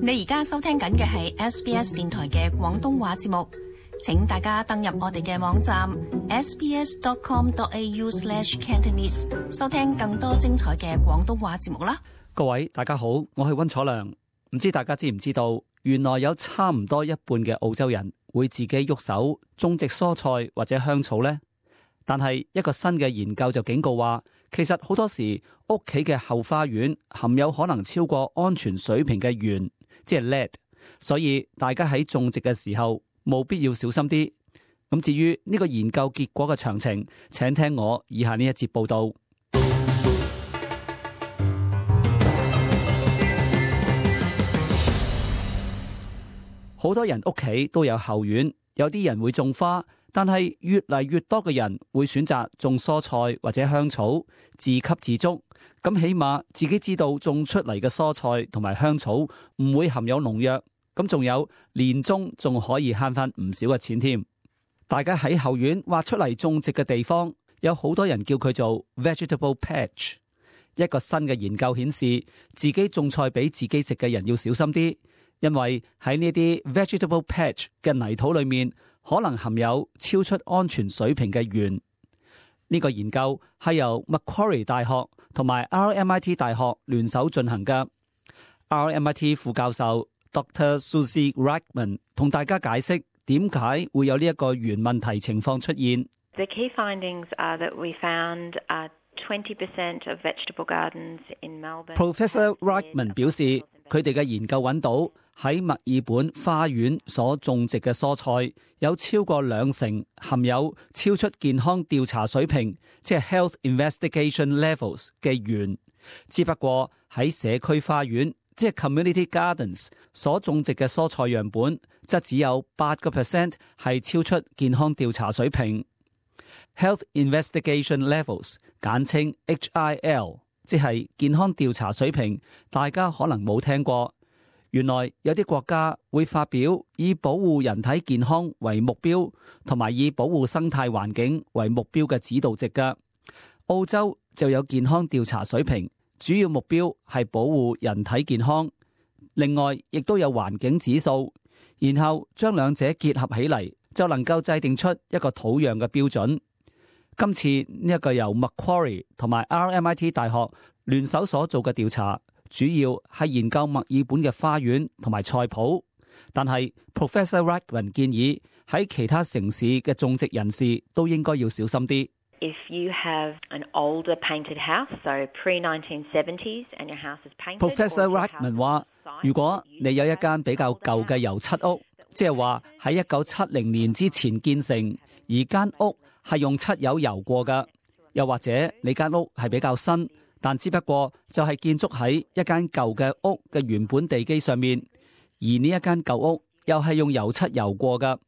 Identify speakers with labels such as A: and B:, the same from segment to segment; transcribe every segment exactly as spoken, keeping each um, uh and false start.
A: 你而家收聽緊嘅係 S B S 電台嘅廣東話節目，請大家登入我哋嘅網站 s b s dot com dot a u slash cantonese 收聽更多精彩嘅廣東話節目啦。
B: 各位大家好，我係溫楚良。唔知大家知唔知道，原來有差唔多一半嘅澳洲人會自己喐手種植蔬菜或者香草呢？但係一個新嘅研究就警告話，其實好多時屋企嘅後花園含有可能超過安全水平嘅鉛，即係 lead， 所以大家喺種植嘅時候務必要小心啲。咁至於呢個研究結果嘅詳情，請聽我以下呢一節報道。好多人屋企都有後院，有啲人會種花，但係越嚟越多嘅人會選擇種蔬菜或者香草，自給自足。咁起碼自己知道種出嚟嘅蔬菜同埋香草唔會含有農藥，咁仲有年終仲可以慳翻唔少嘅錢添。大家喺後院挖出嚟種植嘅地方，有好多人叫佢做 vegetable patch。一個新嘅研究顯示，自己種菜俾自己食嘅人要小心啲。因為喺呢啲 vegetable patch 嘅泥土裏面，可能含有超出安全水平嘅鉛。呢個研究係由 Macquarie 大學同埋 R M I T 大學聯手進行嘅。R M I T 副教授 Doctor Susie Reichman 同大家解釋點解會有呢一個鉛問題情況出現。
C: The key findings are that we found twenty percent of vegetable gardens in Melbourne.
B: Professor Reichman 表示，佢哋嘅研究揾到喺墨爾本花園所種植嘅蔬菜有超過兩成含有超出健康調查水平，即係 health investigation levels 嘅鉛。只不過喺社區花園，即係 community gardens 所種植嘅蔬菜樣本，則只有八個 percent 係超出健康調查水平。Health investigation levels 簡稱 H I L， 即係健康調查水平，大家可能冇聽過。原來有啲國家會發表以保護人體健康為目標，同埋以保護生態環境為目標嘅指導值㗎。澳洲就有健康調查水平，主要目標係保護人體健康。另外，亦都有環境指數，然後將兩者結合起嚟，就能夠制定出一個土壤嘅標準。今次呢一個由 Macquarie 同埋 R M I T 大學聯手所做嘅調查，主要係研究墨爾本嘅花園同埋菜圃。但係 Professor Reichman 建議喺其他城市嘅種植人士都應該要小心啲。
C: If you have an older painted house, so pre nineteen seventies, and your house is painted,
B: Professor Reichman 話，如果你有一間比較舊嘅油漆屋，即係話喺一九七零年之前建成，而間屋係用漆油油過㗎，又或者你間屋係比較新，但只不過就係建築喺一間舊嘅屋嘅原本地基上面，而呢一間舊屋又係用油漆油過㗎，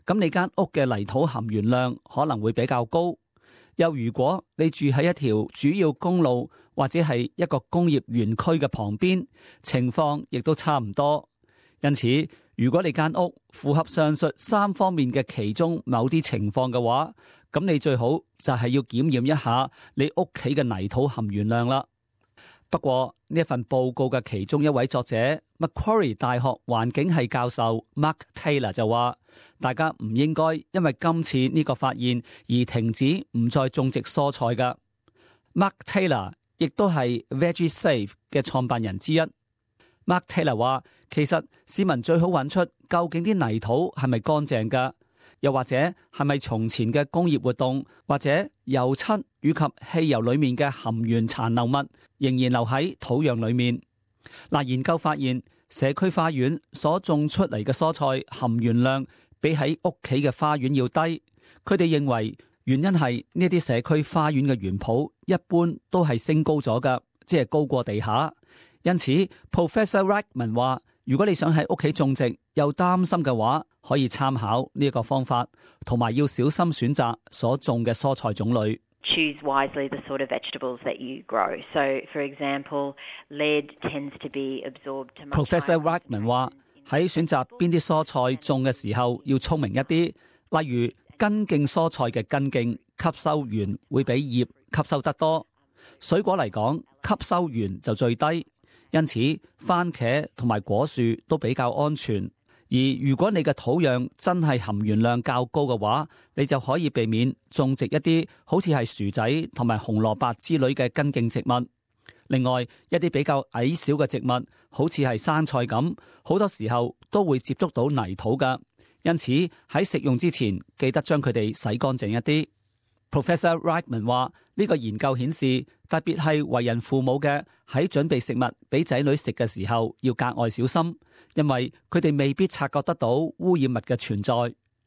B: 咁你間屋嘅泥土含鉛量可能會比較高。又如果你住喺一條主要公路或者係一個工業園區嘅旁邊，情況亦都差唔多。因此，如果你間屋符合上述三方面嘅其中某啲情況嘅話，咁你最好就係要檢驗一下你屋企嘅泥土含鉛量啦。不過呢一份報告嘅其中一位作者 Macquarie 大學環境系教授 Mark Taylor 就話，大家唔應該因為今次呢個發現而停止唔再種植蔬菜㗎。Mark Taylor 亦都係 VeggieSafe 嘅創辦人之一。Mark Taylor 話，其實市民最好揾出究竟啲泥土係咪乾淨㗎，又或者係咪從前嘅工業活動或者油漆以及汽油裏面嘅含鉛殘留物仍然留喺土壤裏面。嗱，研究發現社區花園所種出嚟嘅蔬菜含鉛量比喺屋企嘅花園要低。佢哋認為原因係呢啲社區花園嘅園圃一般都係升高咗㗎，即係高過地下。因此 Professor Reichman 話，如果你想喺屋企種植又擔心嘅話，可以參考呢一個方法，同埋要小心選擇所種嘅蔬菜種類。
C: Choose wisely the sort of vegetables that you grow. So, for example, lead tends to be absorbed to much
B: Professor Reichman 話，喺選擇邊啲蔬菜種嘅時候要聰明一啲，例如根莖蔬菜嘅根莖吸收鉛會比葉吸收得多。水果嚟講，吸收鉛就最低。因此番茄同埋果樹都比較安全。而如果你嘅土壤真係含鉛量較高嘅話，你就可以避免種植一啲好似係薯仔同埋紅蘿蔔之類嘅根莖植物。另外，一啲比較矮小嘅植物，好似係生菜咁，好多時候都會接觸到泥土㗎。因此喺食用之前，記得將佢哋洗乾淨一啲。Professor Reitman 話：呢個研究顯示，特別係為人父母嘅喺準備食物俾仔女食嘅時候，要格外小心，因為佢哋未必察覺得到污染物嘅存在。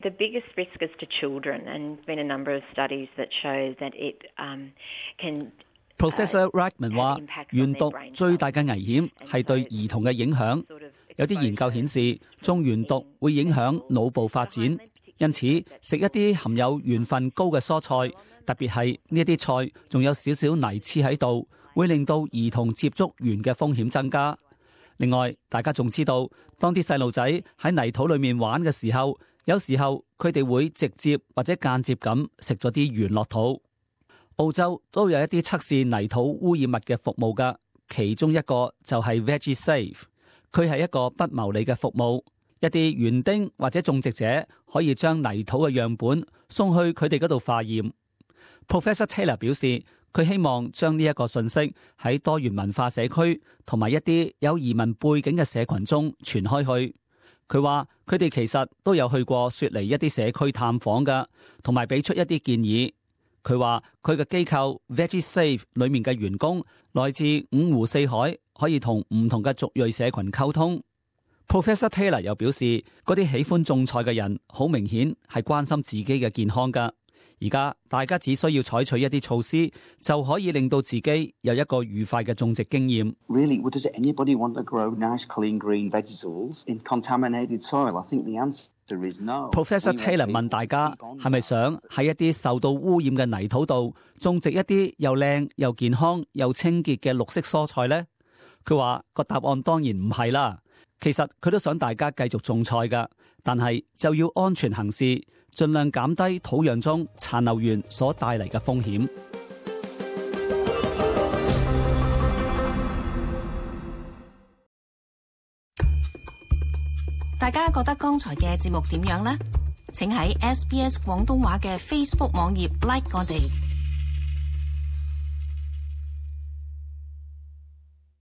C: The biggest risk is to children, and there's been a number of studies that show that it um, can
B: Professor Reitman 話，鉛毒最大嘅危險係對兒童嘅影響。有啲研究顯示，中鉛毒會影響腦部發展，因此食一啲含有鉛分高嘅蔬菜，特別係呢一啲菜仲有少少泥黐喺度，會令到兒童接觸鉛嘅風險增加。另外，大家仲知道，當啲細路仔喺泥土裏面玩嘅時候，有時候佢哋會直接或者間接咁食咗啲鉛落肚。澳洲都有一啲測試泥土污染物嘅服務㗎，其中一個就係 VeggieSafe， 佢係一個不牟利嘅服務。一啲園丁或者種植者可以將泥土嘅樣本送去佢哋嗰度化驗。Professor Taylor 表示，佢希望將呢一個信息喺多元文化社區同埋一啲有移民背景嘅社群中傳開去。佢話佢哋其實都有去過雪梨一啲社區探訪㗎，同埋俾出一啲建議。佢話佢嘅機構 VeggieSafe 裏面嘅員工來自五湖四海，可以同唔同嘅族裔社群溝通。Professor Taylor 又表示，嗰啲喜歡種菜嘅人好明顯係關心自己嘅健康㗎。而家大家只需要採取一啲措施，就可以令到自己有一個愉快嘅種植經驗。
D: Really, does anybody want to grow nice, clean, green vegetables in contaminated soil? I think the answer is no.
B: Professor Taylor 問大家係咪想喺一啲受到污染嘅泥土度種植一啲又靚又健康又清潔嘅綠色蔬菜呢？佢話個答案當然唔係啦。其實佢都想大家繼續種菜㗎，但係就要安全行事，盡量減低土壤中殘留鉛所帶嚟嘅風險。
A: 大家覺得剛才嘅節目點樣呢？請喺 S B S 廣東話嘅 Facebook 網頁 like 我哋。